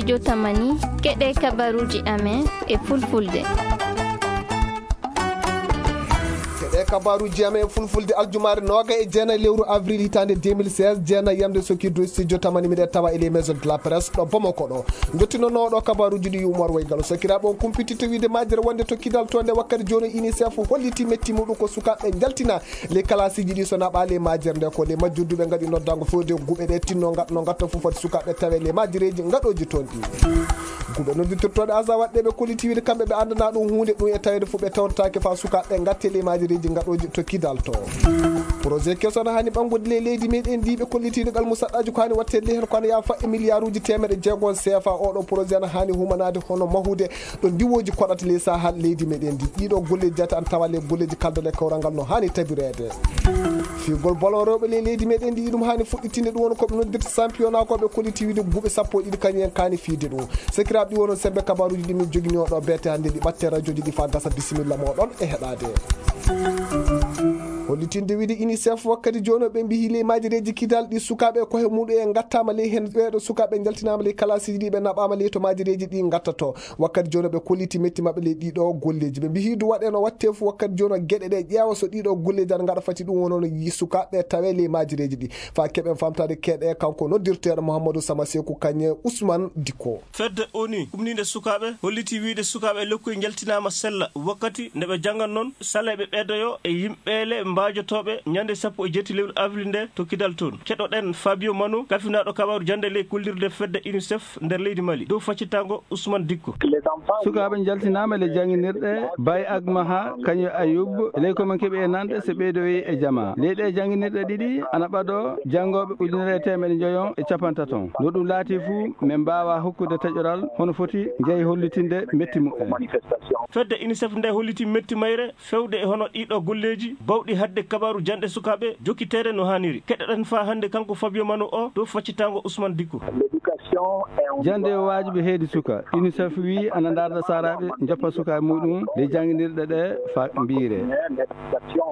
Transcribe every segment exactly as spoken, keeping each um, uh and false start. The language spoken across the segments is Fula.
Jotamani, keɗe kabaruji amen e fulfulde. Keɗe kabaruji amen e fulfulde aljumaare nooga e jeenayi lewru avril hitaande deux mille seize, jeenayi yamde sokirdu studio tamani miɗen tawa e les maisons de la presse ɗo Bamako ɗo. Jottinooɗo kabaruji ɗi Umar Waygalo. Sakiraaɓe, on kumpititta wiide majjere wonde to kidal to nde wakkati jooni UNICEF holliti metti muɗum ko sukaaɓe jaltina les classes ji ɗi so naɓaali e majjere nde ko les majjudduɓe ngaɗi noddango fewde guɓe ɗe tinno ngat-, no ngatta fof foti sukaaɓe tawe les majjereji ngaɗoji toon ɗi. Guɓe nodditirtooɗe aza waɗɓe ɓe kolliti wiide kamɓe ɓe anndana ɗum huunde ɗum e taweede fof ɓe tawtotaake fa sukaaɓe ngatte les majjereji ngaɗoji to kidal to. Projet keso no hani ɓanngude les leydi meɗen ndi ɓe kolliti ɗo gal musaɗɗaji ko hani wattede heen ko ano yaafa e milliarduji teemedde jeegom C F A. Oɗo projet no hani humanaade hono mahude ɗo ndiwoji koɗata les sahal leydi meɗen ndi. Ɗiɗo golleji jate an tawa les golleji kaldal e kawral ngal no hani tabireede. Figol ballon rewɓe les leydi meɗen ndi ɗum hani fuɗɗitinde ɗum woni koɓe noddirta championnat koɓe kolliti wiide guɓe sappo e ɗiɗi kañum en kani fiide ɗum. Sakiraaɓe ɗi wono sembe kabaruji ɗi min jogini oɗo beete hannde ɗi ɓatte radioji ɗi fa gasa bisimilla moɗon e heɗade. Hollitinde wiide UNICEF wakkati jooni ɓe mbihi les majjereji kidal ɗi sukaaɓe kohe muɗum en ngattama ley heen ɓeɗo sukaaɓe jaltinama ley classes ji ɗi ɓe naɓama ley to majjereji ɗi ngattato. Wakkati jooni ɓe kolliti metti maɓɓe ley ɗiɗo golleji. Ɓe mbihi du waɗe no watte fof wakkati jooni geɗe ɗe ƴeewa so ɗiɗo golleji ana ngaɗa fati ɗum wono no yi sukaaɓe tawe ley majjereji ɗi. Fa keɓen famtade keɗe kanko noddirteeɗo Mouhamadou Sama Sekou Kanye Ousmane Dikko. Fedde ONU kumniinde sukaaɓe holliti wiide sukaaɓe e lekkoy njaltinaama sella wakkati nde ɓe janngan noon saleeɓe ɓeedoyo e yimɓeele mbaajotooɓe ñande sappo e jeetati lewru avril nde to kidal toon. Keɗoɗen Fabio Mano, kafinaaɗo kabaaru jannde ley kollirde fedde UNICEF nder leydi Mali, dow faccitango Ousmane Dikko. Sukaaɓe njaltinaama le jannginirɗe Bay Agmaha, kañum e Ayub, ley ko min keɓi e nanɗe so ɓeydoyi e jama. Ley ɗe jannginirɗe ɗiɗi ana ɓado janngooɓe ujunere e teemedde njoyon e capantaton. No ɗum laati fuu, min mbaawa hokkude taƴoral hono foti njeyi hollitinde metti muɓɓen. Fedde UNICEF nde holliti metti mayre fewde e hono ɗiɗo golleeji bawɗi haɗde kabaaru janɗe sukaaɓe jokkiteede no haaniri. Keɗoɗen faa hannde kanko Fabio Mano o dow faccitango Ousmane Dikko. Jannde o waajibi heedi suka. UNICEF wii ana ndaarda saaraaɓe njoppa sukaaɓe muɗum ɗe jannginirɗe ɗe fa mbiire.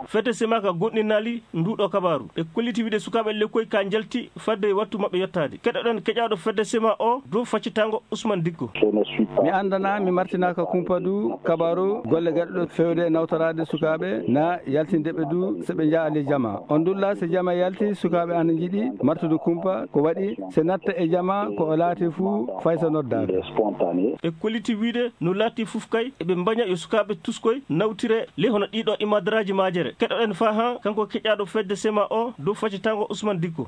Fedde sema ka goɗɗinali nduɗo kabaaru. Ɓe kolliti wiide sukaaɓe lekkoy ka njalti fadde e wattu maɓɓe yottaade. Keɗoɗen keƴaaɗo fedde sema o dow faccitango Ousmane Dikko. Mi anndana, mi martinaaka kumpa du kabaaru golle gaɗuɗo fewde e nawtoraade sukaaɓe na yaltinde ɓe du so ɓe njaali jama. On ndulla so jama yalti, sukaaɓe ana njiɗi martude kumpa ko waɗi so natta e jama ko o laati fuu fay so noddaaka. Ɓe kolliti wiide no laati fof kay eɓe mbaña yo sukaaɓe tuskoy nawtire le hono ɗiɗo imadaraaji majere. Keɗoɗen faa haa kanko keƴaaɗo fedde sema o dow faccitango Ousmane Dikko.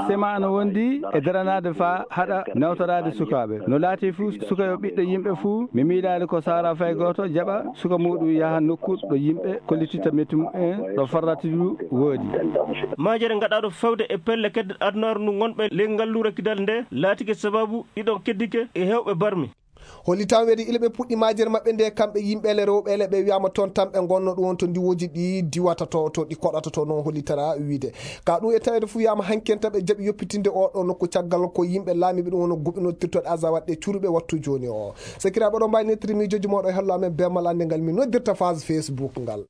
Sema ana wondi e daranaade faa haɗa nawtoraade sukaaɓe. No laati fuu suka yo ɓiɗɗo yimɓe fuu, mi miilaali ko saara fay gooto jaɓa suka muɗum yaha nokku ɗo yimɓe kollititta metti muɓɓen ɗo farrati du woodi. Majere ngaɗaaɗo fewde e pelle kedde adunaaru ndu ngonɓe ley ngalluure kidal nde laatike sababu ɗiɗon keddike e heewɓe barmi. Hollitan weedi ila ɓe puɗɗi majere maɓɓe nde kamɓe yimɓeele rewɓeele ɓe wiyama toon tan ɓe ngonno ɗum won to ndiwoji ɗi diwata to, to ɗi koɗata to noon hollitana wiide. Ka ɗum e taweede fuu wiyama hankkenta ɓe jaɓi yoppitinde oɗo nokku caggal ko yimɓe laamiɓe ɗum wono guɓinottirtoɗe aza waɗɗe curuɓe wattu jooni o. Sakiraaɓe ɗo mbawi nettiri miijoji moɗo e hello amen bemal annde ngal min noddirta phase Facebook ngal.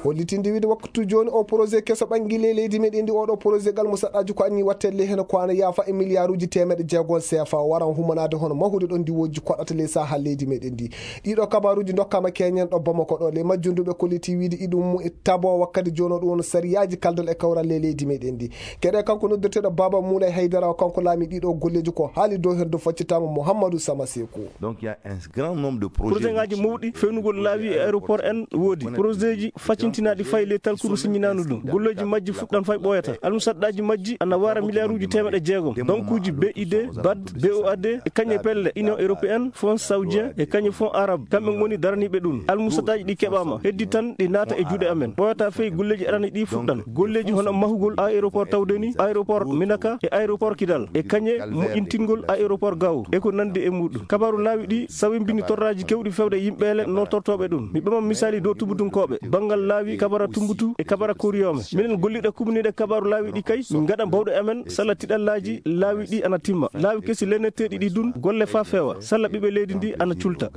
Hollitinde wiide waktu jooni o projet keso ɓangi ley leydi meɗen ndi oɗo projet gal mo saɗɗaji ko anni wattelle heno ko ana yaafa e milliarduji temeɗe jeegom C F A o waran humanaade hono mahude ɗo ndiwoji koɗata ley saha leydi meɗen ndi. Ɗiɗo kabaruji dokkama keñen ɗo Bamako ɗo ley majjunduɓe kolliti wiide iɗum mu e tabo wakkati jono ɗum wono sariyaji kaldal e kawral ley leydi meɗen ndi. Keɗe kanko noddirteɗo Baba Moulay Haydara o kanko laami ɗiɗo golleji ko haali dow heddo faccitango Mouhamadou Sama Sekou. Donc il y a un grand nombre de projets. Projet ngaji mawɗi fewnugol laawi e aéroport en woodi. Projet ji faccintinaaɗi fayi ley talkuru siññinaandu ɗum. Golleeji majji fuɗɗan fay ɓooyata. Almusaɗɗaaji majji ana waara miliyaaruuji teemeɗe jeegom. Bankuuji B I D, bad, B O A D, e kañe pelle Union Européenne, Fonds Saoudien, e kañe Fonds Arabe. Kamɓe ngoni daraniiɓe ɗum. Almusaɗɗaaji ɗi keɓaama. Heddi tan ɗi naata e juuɗe amen. Ɓooyata fay golleeji arani ɗi fuɗɗan. Golleeji hono mahugol aéroport Tawdeni, aéroport Minaka, e aéroport Kidal. E kañe moƴƴintingol aéroport Gao. E ko nandi e muɗum. Kabaaru laawi ɗi sawimbini torraaji kewɗi fewde yimɓeele nootortooɓe ɗum. Mi ɓama misaali dow tubutunkooɓe. Banngal laawi Kabara Tumbutu e kabara Koriyome. Minen gollirɗe kumniiɗe kabaaru laawi ɗi kay, min ngaɗa bawɗe amen, sala tiɗallaaji laawi ɗi ana timma. Laawi kesi lenneteeɗi ɗi dun, golle faa feewa, sala ɓiɓɓe leydi ndi ana culta.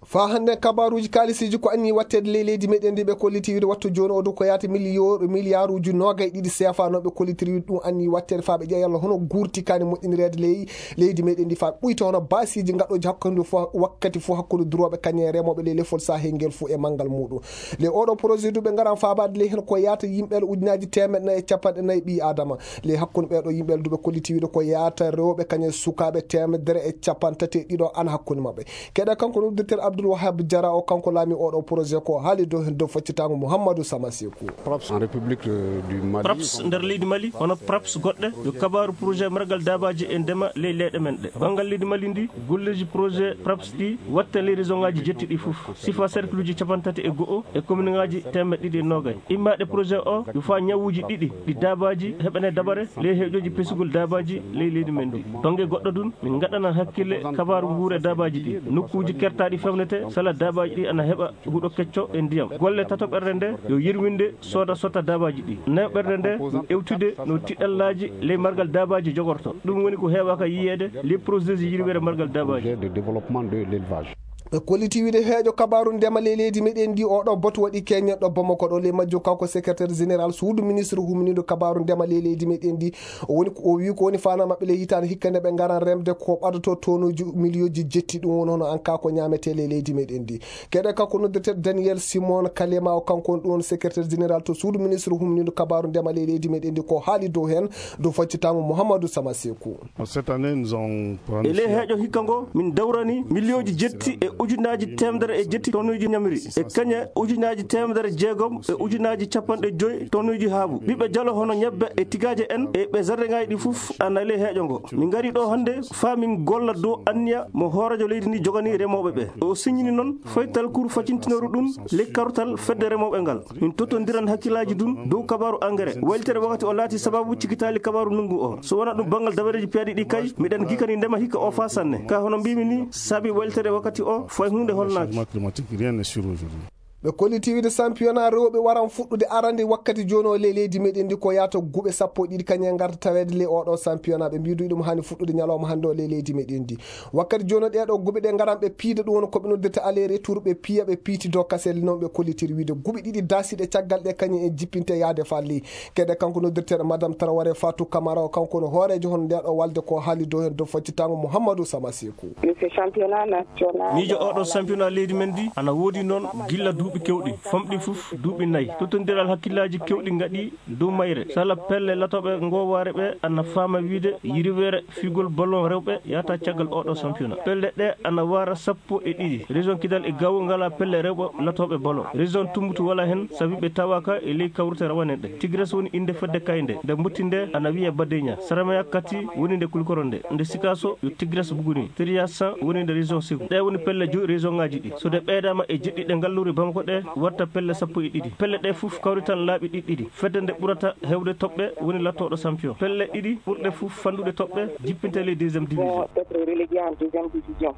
Faa hannde kabaaruuji kaalisiiji ko anni watteede ley leydi meɗen ndi ɓe kolliti wiide wattu jooni o du ko yaata miliyo-, miliyaaruuji noogay ɗiɗi seefa no ɓe kollitiri wiide ɗum anni watteede faa ɓe ƴeewa yalla hono guurti kaani moƴƴinireede ley leydi meɗen ndi faa ɓuyta hono baasiiji gaɗooji hakkunde fo-, wakkati fof hakkunde durooɓe kañum e remooɓe ley lefol Sahel ngel fof e manngal muuɗum. Ley oɗo projet du ɓe ngaran faabaade ley heen ko yaata yimɓe ujunaaji teemeɗɗe nayi e capanɗe nayi ɓii Aadama. Ley hakkunde ɓeeɗo yimɓe du ɓe kolliti wiide ko yaata rewɓe kañum e sukaaɓe teemedere e capanɗe tati e ɗiɗo ana hakkunde maɓɓe. Keɗa kanko noddirteeɗo Abdoul Wahab Diarra o kanko laami oɗo projet ko haali dow heen dow faccitaango Mouhamadou Sama Sekou. Praps en République, euh, du Mali. Praps nder leydi Mali, hono Praps goɗɗe, yo kabaaru projet margal daabaaji e ndema ley leyɗe men ɗe. Banngal leydi Mali ndi, golleeji projet Praps ɗi watta ley région ngaji jetti ɗi fof. Sifa cercle uji capanɗe tati e go'o e commune ngaji teemeɗɗe ɗiɗi e noogay. Immaaɗe projet o, yo faa ñawuuji ɗiɗi ɗi daabaaji heɓane dabare ley heeƴooji pesugol daabaaji ley leydi men ndi. Bannge goɗɗo dun, min ngaɗana hakkille kabaaru nguure daabaaji ɗi. Nokkuuji kertaaɗi fewnete sala daabaaji ɗi ana heɓa huɗo kecco e ndiyam. Golle tatoɓerde nde yo yirwinde sooda sotta daabaaji ɗi. Nayoɓerde nde yo ewtude no tiɗallaaji ley margal daabaaji jogorto. Ɗum woni ko heewaaka yiyeede ley projet ji yirwere margal daabaaji. Projet de développement de l'élevage. Ɓe kolliti wiide heeƴo kabaaru ndema ley leydi meɗen ndi oɗo botu waɗi keñen ɗo Bamako ɗo ley majjo kanko secrétaire général suudu ministre humniiɗo kabaaru ndema ley leydi meɗen ndi. O woni ko, o wi ko woni faana maɓɓe ley hitaande hikka nde ɓe ngaran remde ko ɓadoto tonuji miliyoji jetti ɗum woni hono an ka ko ñaamete ley leydi meɗen ndi. Keɗe kanko noddirteeɗo Daniel Simon Kalema o kanko on ɗum woni secrétaire général to suudu ministre humniiɗo kabaaru ndema ley leydi meɗen ndi ko haali dow heen dow faccitango Mouhamadou Sama Sekou. Cette année, nous avons E ley heeƴo hikka ngo, min dawrani miliyoji jetti e ujunaaji teemedere e jetti tonuuji ñamri, e kañe ujunaaji teemedere jeegom e ujunaaji capanɗe joy tonuuji haabu. Ɓiɓɓe jalo hono ñebbe e tigaaje en e ɓe zardeŋaaji ɗi fof ana ley heeƴo ngo. Min ngari ɗo hannde faa min golla dow anniya mo hooreejo leydi ndi jogani remooɓe ɓe. O siññini noon faytal kuru facintinooru ɗum ley kartal fedde remooɓe ngal. Min tottondiran hakkillaaji ɗum dow kabaaru engrais. Waylitere wakkati o laati sababu cikitaali kabaaru ndunngu o. So wonaa ɗum banngal dabareeji piyaaɗi ɗi kay, miɗen gikani ndema hikka o faa sanne. Ka hono mbiimi ni, saabi waylitere wakkati o, fay huunde holnaaki. Changement climatique, rien n'est sûr aujourd'hui. Ɓe kolliti wiide championnat rewɓe waran fuɗɗude arande wakkati jooni o ley leydi meɗen ndi ko yaata guɓe sappo e ɗiɗi kañum e ngarta taweede ley oɗo championnat. Ɓe mbiidu ɗum haani fuɗɗude ñalawma hannde o ley leydi meɗen ndi. Wakkati jooni o ɗeeɗo guɓe ɗe ngaran ɓe piida ɗum woni ko ɓe noddirta aller retour ɓe piya ɓe piiti dow kasel noon ɓe kollitiri wiide guɓe ɗiɗi daasiiɗe caggal ɗe kañum en jippinte yaade falli. Kede kanko noddirteeɗo Madame Traoré Fatou Camara o kanko no hooreejo hono ndeeɗo walde ko haali dow heen dow faccitango Mouhamadou Sama Sekou. Monsieur championnat national. Miijo oɗo championnat leydi men ndi ana woodi noon gilla duuɓi kewɗi. Famɗi fof duuɓi nayi. Tottondiral hakkillaaji kewɗi ngaɗi dow mayre. Sala pelle latooɓe ngoowaare ɓe ana faama wiide yirweere figol ballon rewɓe yahata caggal oɗo championnat. Pelle ɗe ana waara sappo e ɗiɗi. Région Kidal e Gao ngala pelle rewɓe latooɓe ballon. Région Tumbutu wala heen sabi ɓe tawaaka e ley kawrite rawane ɗe. Tigres woni innde fedde kay nde. Nde mbotti nde ana wiye Badeña. Sarameya Kati woni nde Kulkoro nde. Nde Sikaso yo Tigres Buguni. Tiriyasan woni nde région Segu. Ɗe woni pelle joyi région ngaji ɗi. So ɗe ɓeydaama e jeɗɗi ɗe ngalluri Bamako ɗe, watta pelle sappo e ɗiɗi. Pelle ɗe fof kawritan laaɓi ɗiɗi ɗiɗi. Fedde nde ɓurata heewde toɓɓe woni lattooɗo champion. Pelle ɗiɗi ɓurɗe fof fanɗude toɓɓe jippinte ley deuxième division. Vont être relégués en deuxième division.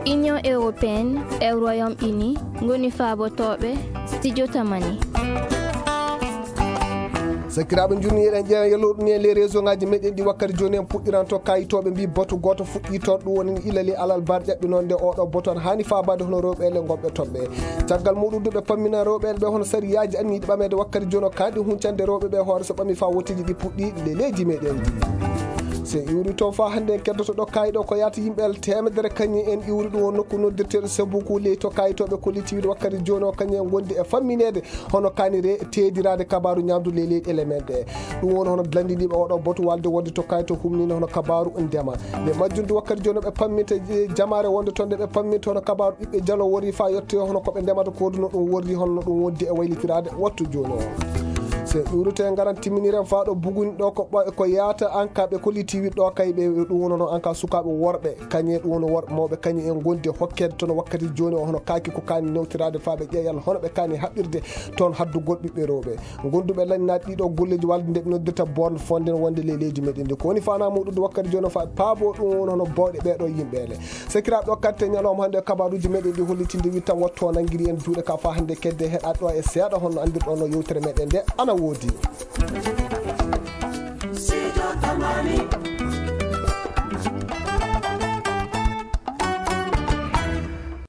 Union européenne e Royaume-Uni ngoni faabotooɓe Studio Tamani. Sakiraaɓe, njurni eɗen ƴeewa yalluɗo ni e les région ngaji meɗen ɗi wakkati jooni en puɗɗiranto kayitooɓe mbi boto gooto fuɗɗi toon, ɗum woni ila le alal bar ƴaɓɓi noon nde oɗo boto an haani faabaade hono rewɓe ele gonɓe toon ɓe. Caggal muɗum du ɓe pammina rewɓe ele ɓe hono sariyaaji anniiɗi ɓameede wakkati jooni o kaanɗi huncande rewɓe ɓe hoore so ɓami faa wotteeji ɗi puɗɗi le leydi meɗen ndi. So en iwri toon faa hannde en keddoto ɗo kayiɗo ko yaata yimɓe ele teemedere kañum en iwri ɗum o nokku noddirteeɗo Sebuku ley to kayitooɓe kollitiiɓe wakkati jooni o kañum en ngondi e fammineede hono kaanire teediraade kabaaru ñaamdu ley leyɗele men ɗe. Ɗum woni hono lanndiniiɓe oɗo botu walde wonde to kayto humnino hono kabaaru ndema. Nde majjunde wakkati jooni ɓe pamminta, eh, jamaare wonde toon nde ɓe pamminta hono kabaaru ɓiɓɓe jalo worri faa yotte hono ko ɓe ndemata ko ɗum no ɗum worri hono no ɗum wondi e waylitiraade wattu jooni o. Se ɗuurute ngaran timminiren faa ɗo buguni ɗo ko ɓa-, ko yaata an ka ɓe kolliti wiɗɗo kay ɓe ɗum wono noon an ka sukaaɓe worɓe, kañe ɗum wono worɓe mawɓe kañum en gondi e hokkeede toon wakkati jooni o hono kaaki ko kaani newtiraade faa ɓe ƴeeƴal hono ɓe kaani haɓɓirde toon haddugol ɓiɓɓe rewɓe. Gonduɓe lanndinaaɗe ɗiɗo golleeji walde nde ɓe noddirta borne fonde wonde ley leydi meɗen ndi. Ko woni faanaa muɗum wakkati jooni o faa paabo ɗum wono hono bawɗe ɓeeɗo yimɓe ele. Sakiraaɓe, o katte ñalawma hannde e kabaaruuji meɗen ɗi hollitinde witta wattu o nanngiri en juuɗe ka faa hannde kedde heɗaɗo e seeɗa honno anndirɗo no yewtere meɗen nde ana woodi. Sijo Tamani.